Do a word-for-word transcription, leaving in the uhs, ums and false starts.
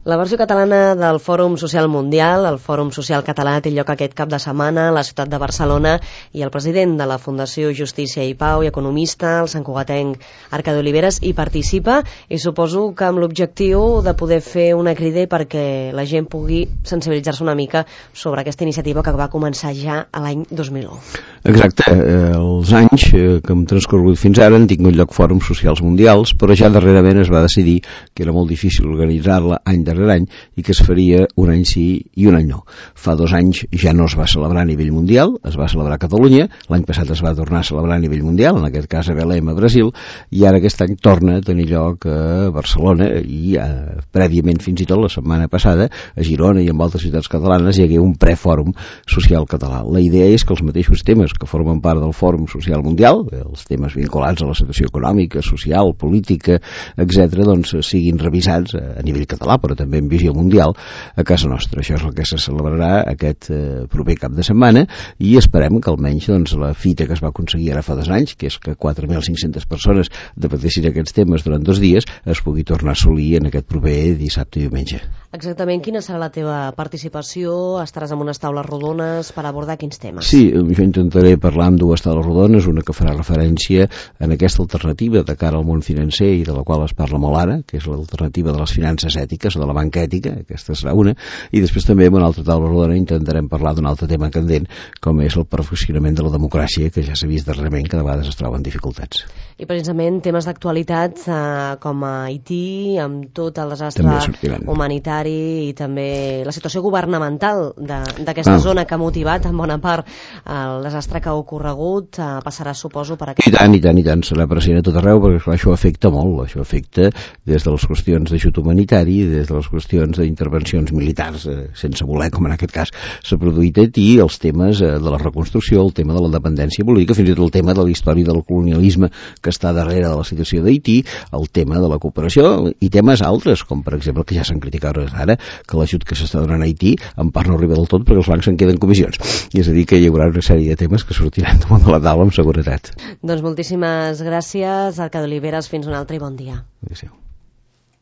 La versió catalana del Fòrum Social Mundial, el Fòrum Social Català, té lloc aquest cap de setmana a la ciutat de Barcelona i el president de la Fundació Justícia i Pau i economista, el santcugatenc Arcadi Oliveres, hi participa i suposo que amb l'objectiu de poder fer una crida perquè la gent pugui sensibilitzar-se una mica sobre aquesta iniciativa que va començar ja a l'any dos mil u. Exacte, els anys que hem transcorregut fins ara han tingut lloc fòrums socials mundials, però ja darrerament es va decidir que era molt difícil organitzar-la any darrere any i que es faria un any sí i un any no. Fa dos anys ja no es va celebrar a nivell mundial, es va celebrar a Catalunya, l'any passat es va tornar a celebrar a nivell mundial, en aquest cas a Belém, a Brasil, i ara aquest any torna a tenir lloc a Barcelona i eh, prèviament fins i tot la setmana passada a Girona i en altres ciutats catalanes hi hagué un prefòrum social català. La idea és que els mateixos temes que formen part del Fòrum Social Mundial, els temes vinculats a la situació econòmica, social, política, etcètera, doncs siguin revisats a nivell català, però també en visió mundial a casa nostra. Això és el que se celebrarà aquest eh, proper cap de setmana i esperem que almenys doncs, la fita que es va aconseguir ara fa dos anys, que és que quatre mil cinc-centes persones debatessin aquests temes durant dos dies, es pugui tornar a assolir en aquest proper dissabte i diumenge. Exactament, quina serà la teva participació? Estaràs en unes taules rodones per abordar quins temes? Sí, jo intentaré parlar amb dues taules rodones, una que farà referència en aquesta alternativa de cara al món financer i de la qual es parla molt ara, que és l'alternativa de les finances ètiques o de la banca ètica, aquesta serà una, i després també en una altra taula rodona intentarem parlar d'un altre tema candent, com és el perfeccionament de la democràcia, que ja s'ha vist darrerament que de vegades es troben dificultats. I precisament temes d'actualitat eh, com a Haití, amb tot el desastre humanitari i també la situació governamental d'aquesta ah. zona que ha motivat en bona part el desastre que ha ocorregut, eh, passarà, suposo, per aquest... I tant, i tant, i tant, serà present a tot arreu, perquè clar, això afecta molt, això afecta des de les qüestions d'ajut humanitari, des de les qüestions d'intervencions militars, eh, sense voler, com en aquest cas s'ha produït a Haití, els temes eh, de la reconstrucció, el tema de la dependència política, fins i tot el tema de la història del colonialisme que està darrere de la situació d'Haití, el tema de la cooperació i temes altres, com per exemple que ja s'han criticat ara, que l'ajut que s'està donant a Haití en part no arriba del tot perquè els bancs en queden comissions. I és a dir que hi haurà una sèrie de temes que sortiran damunt de la taula amb seguretat. Doncs moltíssimes gràcies, Arcadi Oliveres, fins un altre i bon dia. Adéu.